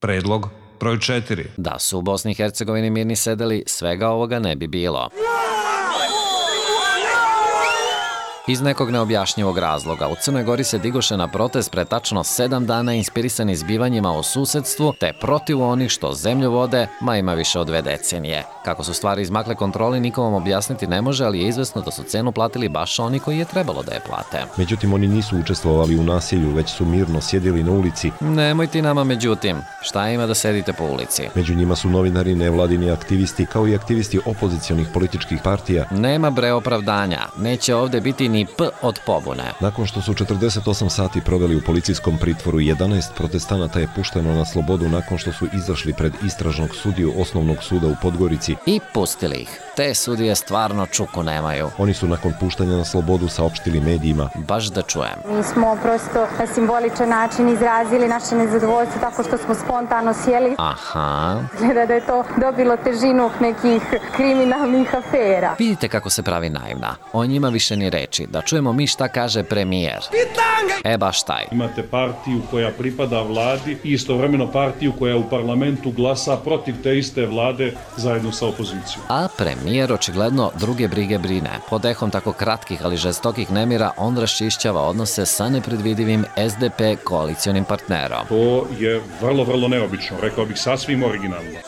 Predlog broj 4. Da su u Bosni i Hercegovini mirni sedeli, svega ovoga ne bi bilo. Iz nekog neobjašnjivog razloga u Crnoj Gori se digoše na protest pre tačno 7 dana inspirisani zbivanjima u susedstvu te protiv onih što zemlju vode, ima više od 2 decenije. Kako su stvari izmakle kontroli, niko vam objasniti ne može, ali je izvesno da su cenu platili baš oni koji je trebalo da je plate. Međutim, oni nisu učestvovali u nasilju, već su mirno sjedili na ulici. Nemoj ti nama međutim. Šta ima da sedite po ulici? Među njima su novinari, nevladini aktivisti, kao i aktivisti opozicionih političkih partija. Nema bre opravdanja. Neće ovde biti ni P od pobune. Nakon što su 48 sati proveli u policijskom pritvoru, 11 protestanata je pušteno na slobodu nakon što su izašli pred istražnog sudiju Osnovnog suda u Podgorici. I pustili ih. Te sudije stvarno čuku nemaju. Oni su nakon puštanja na slobodu saopštili medijima. Baš da čujem. Mi smo prosto na simboličan način izrazili naše nezadovoljstvo tako što smo spontano sjeli. Aha. Gleda da je to dobilo težinu nekih kriminalnih afera. Vidite kako se pravi naivna. O njima više ni reči. Da čujemo mi šta kaže premijer. Baš taj. Imate partiju koja pripada vladi i istovremeno partiju koja u parlamentu glasa protiv te iste vlade zajedno sa opozicijom. A premijer očigledno druge brige brine. Pod ehom tako kratkih, ali žestokih nemira on raščišćava odnose sa nepredvidivim SDP koalicionim partnerom. To je vrlo, vrlo neobično, rekao bih sasvim originalno.